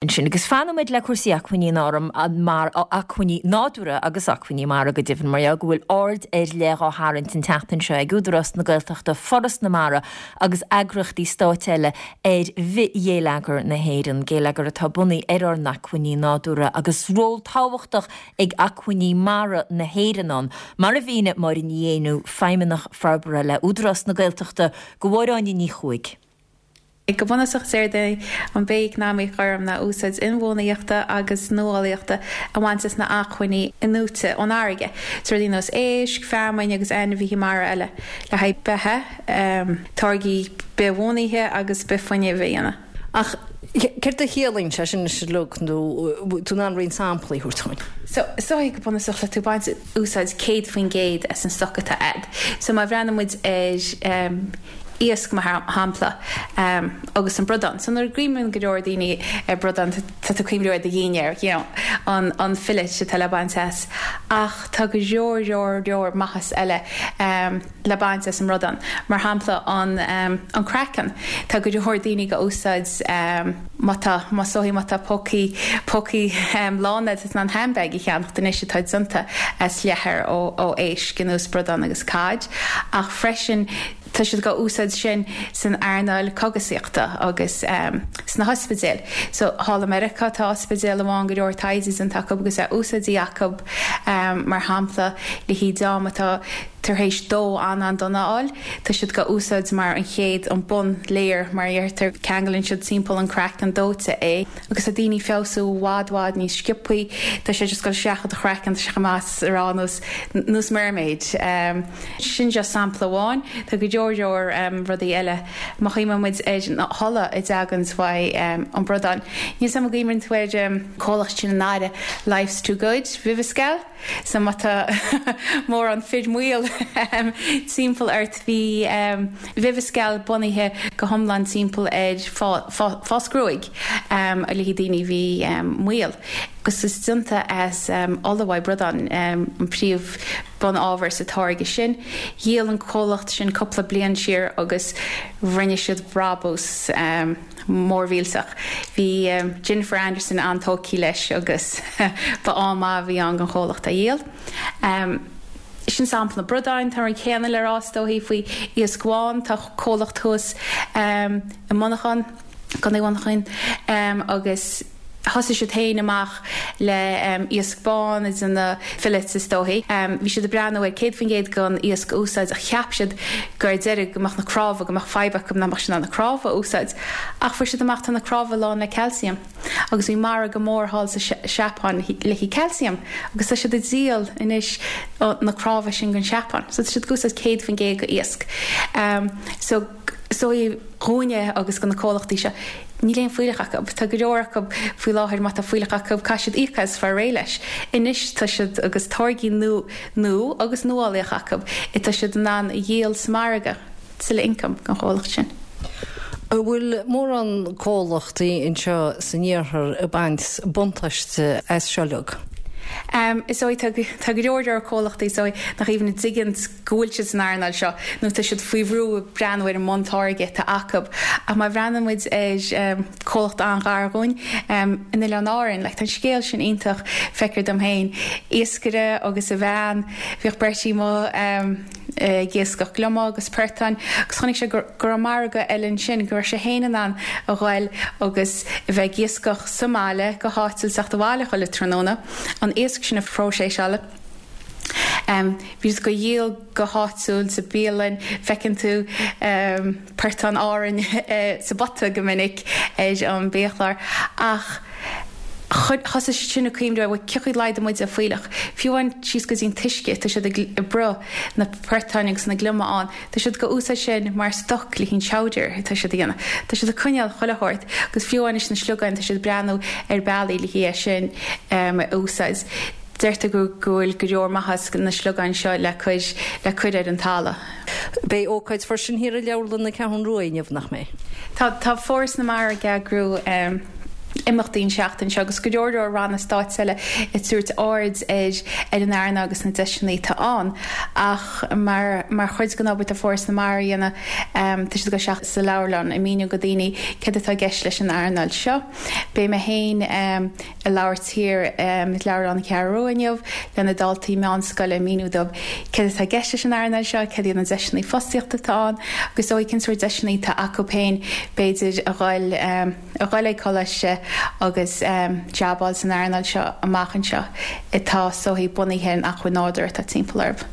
Ansin, agus fanfaimid le cúrsaí acmhainní mara, acmhainní nádúrtha agus acmhainní mara go deimhin, mar gheall go bhfuil aird ar leith á tharraingt an tseachtain seo ag Údarás na Gaeltachta, Foras na Mara agus eagraíochtaí stáit eile ar bhithghéilleagar na hÉireann, géilleagar atá bunaithe ar ár n-acmhainní nádúrtha agus ról tábhachtach ag acmhainní mara na hÉireann ann, mar a mhínigh Máire Ní Éinniú, Feidhmeannach Forbartha le Údarás na Gaeltachta, do Mháire Áine Ní Chuaig. Go bunúsach is éard é an bhith-eacnamaíocht ghorm ná úsáid inbhuanaitheachta agus nuálaíochta a bhaint as na acmhainní inúite ón fharraige, so rudaí nós éisc, feamainn agus ainmhithe mara eile, le haghaidh beatha, táirgí bithbhunaithe agus bithfhuinnimh a dhéanamh. Ach céard a chiallaíonn sé sin anois uilig, nó tú in ann roinnt samplaí a thabhairt dhúinn? So, is dóigh go bunúsach le tú baint úsáid 100% as an stoc atá a'd. So má bhreathnaíonn muid ar iasc mar shampla, agus an bradán. So nuair a chuimhníonn go leor daoine ar bradán, tá tú ag cuimhniú ar do dhinnéar, you know, an an fillet atá le baint as. Ach tá go leor leor leor maitheas eile le baint as an mbradán. Mar shampla an an craiceann. Tá go leor daoine ag úsáid má tá má is dóigh má tá pócaí pócaí lán a'd tá tú in ann handbag a cheannacht anois atá déanta as leathar ó ó éisc ar nós bradán agus cod. Ach freisin Tá siad dhá úsáid sin san earnáil cogasaíochta agus sna hospidéil. So, thall i Meiriceá tá ospidéal amháin go leor taighde déanta acu agus é úsáidte acu mar shampla le haghaidh dream atá tar éis dó an-an-dona a fháil. Tá siad dhá úsáid mar an chéad, an bun layer mar a deirtear, ceanglann siad timpeall an craiceann dóite é agus tá daoine ag feabhsú i bhfad bhfad níos sciobthaí. Tá sé just ag dul isteach i do chraiceann, tá sé chomh maith is a rá nós nós mermaid. Sin just sampla amháin. Tá go leor leor rudaí eile. Má chuimhníonn muid ar an ola a dtagann uaidh an bradán. Níl 's a'm an gcuimhníonn tú ar an comhlacht sin in Éirinn, Life's Too Good, Viviscal? So má tá mórán fir maol timpeall ort, bhí Viviscal bunaithe go hiomlán timpeall ar fás gruaig le haghaidh daoine a bhí maol. Agus is déanta as ola uaidh bradán an príomh bun-ábhar sa táirge sin. Dhíol an comhlacht sin cúpla bliain siar agus rinne siad brabús mór millteach. Bhí Jennifer Anderson an-tógtha leis agus ba ádh maith a bhí ann don chomhlacht a dhíol. Sin sampla na bradáin. Tá an rud céanna le rá is dóichí faoi iasc bhán. Tá comhlacht thuas i Muineachán, gContae Mhuineacháin, agus thosaigh siad féin amach le iasc bán ag déanamh fillets is dóichí. Bhí siad ag breathnú ar 100% den iasc a úsáid ach cheap siad go ar deireadh go mbeadh na cnámha, go mbeadh fadhb acu nach mbeadh siad in ann na cnámha a úsáid. Ach fuair siad amach tá na cnámha lán le calcium agus bhí margadh mór thall sa Seapáin le haghaidh calcium agus tá siad ag díol anois na cnámha sin don Seapáin. So tá siad ag úsáid 100% de iasc. So. So dhúinne agus do na comhlachtaí seo, níl aon fuílleach acu. Tá go leor acu faoi láthair, má tá fuílleach acu, caithfidh siad íoc as fáil réidh leis. Anois tá siad agus táirgí nua nua agus nuálaíoch acu, tá siad in ann a dhíol sa margadh, tuilleadh income don chomhlacht sin. An bhfuil mórán comhlachtaí anseo san iarthar ag baint buntáiste as seo uilig? Is dóigh, tá go leor leor comhlachtaí is dóigh nach even a dtuigeann go bhfuil siad san earnáil seo nó tá siad faoi bhrú ag breathnú ar an mbuntáirge atá acu. Ach má bhreathnaíonn muid ar comhlacht an-ghar dhúinn in Oileáin Árann, like, tá an scéal sin iontach, feictear dom féin. Iascaire agus a bhean, bhíodh Bertie amuigh ag iascach gliomaigh agus portáin agus chonaic sé go raibh margadh eile ansin, go raibh sé féin in ann a ghoil agus a bheith ag iascach sa mbaile go háitiúil, teacht abhaile chuile tráthnóna, an iasc sin a phróiseáil. Bhí siad á dhíol go háitiúil sa bialann, feiceann tú portán Árainn sa bpota go minic ar an biachlár ach thosaigh siad sin ag cuimhneamh bhuel cén chaoi a laghdóidh muid an fuílleach? Fiú amháin síos go dtí an t-uisce, tá siad ag bruth na portáin agus na gliomaigh ann, tá siad ag úsáid sin mar stoc le haghaidh an chowder atá siad a dhéanamh. Tá siad ag coinneáil chuile shórt agus fiú amháin leis na sliogáin tá siad ag breathnú ar bealaí le haghaidh é sin a úsáid. Deirtear go bhfuil go leor maitheas na sliogáin seo le cur le cur ar an talamh. Beidh ócáid freisin thiar i Leabharlann na Ceathrún Rua inniu, nach mbeidh? Tá, tá Foras na Mara ag eagrú imeachtaí an tseachtain seo agus go leor leor ranna stáit eile ag tabhairt aird ar ar an earnáil agus na deiseanna atá ann. Ach mar mar chuid den obair atá Foras na Mara a dhéanamh. Tá siad ag dul isteach sa leabharlann ag míniú go daoine céard atá i gceist leis an earnáil seo. Beidh mé féin ag labhairt thiar i Leabharlann na Ceathrú Rua inniu le na daltaí meánscoile ag míniú dóibh céard atá i gceist leis an earnáil seo, céard iad na deiseanna fostaíochta atá ann agus is dóigh cén sórt deiseanna atá acu féin b'fhéidir a dhul a dhul ag coláiste agus jab a fháil san earnáil seo amach anseo atá is dóigh bunaithe ar an acmhainn nádúrtha atá timpeall orthu.